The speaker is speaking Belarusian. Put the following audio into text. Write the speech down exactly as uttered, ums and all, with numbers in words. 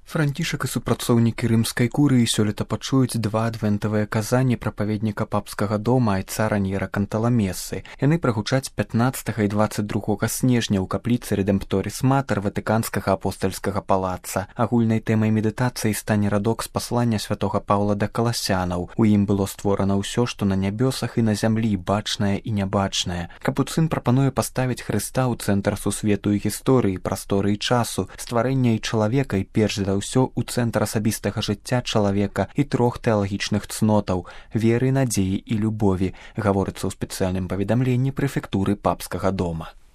Францішак і супрацоўнікі рымскай курыі сёлета пачуюць два адвентавыя казанні прапаведніка папскага дома айца Раньера Канталамесы. Яны прагучаць пятнаццатага і дваццаць другога снежня ў капліцы Рэдэмпторіс Матэр Ватыканскага апостальскага палаца. Агульнай тэмай медытацыі стане радок з паслання святога Паўла да каласянаў. У ім было створана ўсё, што на нябёсах і на зямлі, бачнае і нябачнае. Капуцын прапануе паставіць Хрыста ў цэнтр сусвету і гісторыі, прасторы і часу, стварэння і чалавека і перш за ўсё ў цэнтр асабістага жыцця чалавека і трох тэалагічных цнотаў – веры, надзеі і любові, гаворыцца ў спецыяльным паведамленні прэфектуры папскага дома.